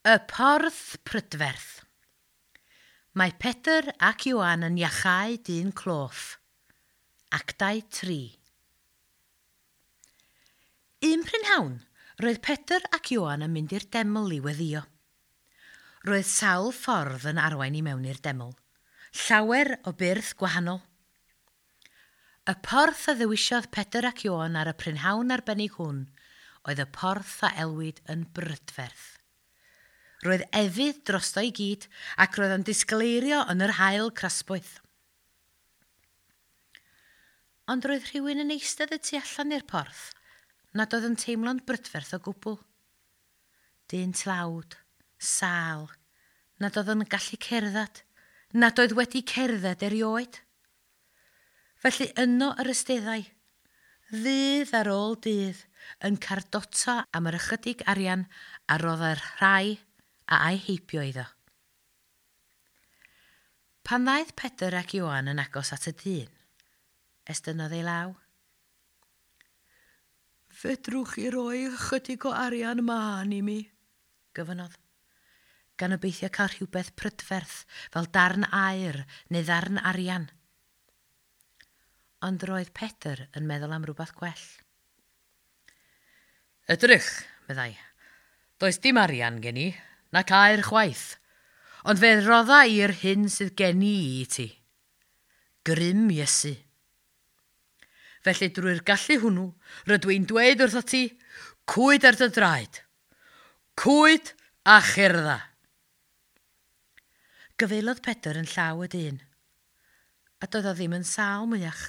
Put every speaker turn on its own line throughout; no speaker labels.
Y porth prydferth. Mae Pedr ac Ioan yn iachau dyn cloff. Actau 3. Un prynhawn, roedd Pedr ac Ioan yn mynd i'r deml i weddio. Roedd sawl ffordd yn arwain i mewn i'r deml. Llawer o byrth gwahanol. Y porth a ddewisiodd Pedr ac Ioan ar y prynhawn arbennig hwn oedd y porth a elwid yn brydferth. Roedd efydd drosto i gyd ac roedd o'n disgleirio yn yr haul crasboeth. Ond roedd rhywun yn eistedd y tu allan i'r porth nad oedd yn teimlo'n brydferth o gwbl. Dyn tlawd, sâl, nad oedd yn gallu cerdded, nad oedd wedi cerdded erioed. Felly yno yr ysteddai, ddydd ar ôl dydd, yn cardota am yr ychydig arian a roddai'r rhai a a'i heibio iddo. Pan ddaeth Pedr ac Ioan yn agos at y dyn, estynnodd ei law. Fedrwch chi roi ychydig o arian mân i mi? Gofynnodd, gan obeithio cael rhywbeth prydferth fel darn aur neu ddarn arian. Ond roedd Pedr yn meddwl am rhywbeth gwell. Edrych, meddai, does dim arian gen i, nac aur chwaith, ond fe rodda i'r hyn sydd gen i i ti. Grym Iesu. Felly drwy'r gallu hwnnw, rydw i'n dweud wrtho ti, cwyd ar dy draed. Cwyd a cherdda. Gyfeilodd Pedr yn llaw y dyn, a doedd o ddim yn sâl mwyach.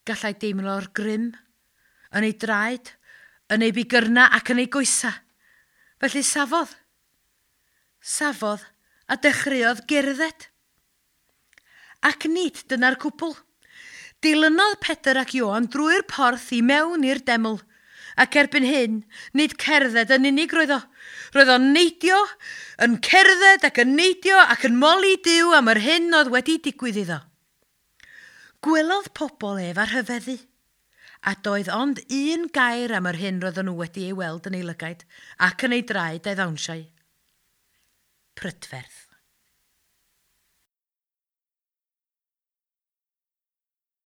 Gallai deimlo'r grym yn ei draed, yn ei bigyrna ac yn ei goesa. Felly safodd. Safodd a dechreuodd gerdded. Ac nid dyna'r cwbl. Dilynodd Pedr ac Ioan drwy'r porth i mewn i'r deml. Ac erbyn hyn, nid cerdded yn unig roedd o. Roedd o'n neidio, yn cerdded ac yn neidio ac yn moli Duw am yr hyn oedd wedi digwydd iddo. Gwelodd pobl ef a rhyfeddu. A doedd ond un gair am yr hyn roedden nhw wedi ei weld yn ei lygaid ac yn ei draed a'i ddawnsiau. Prydferth.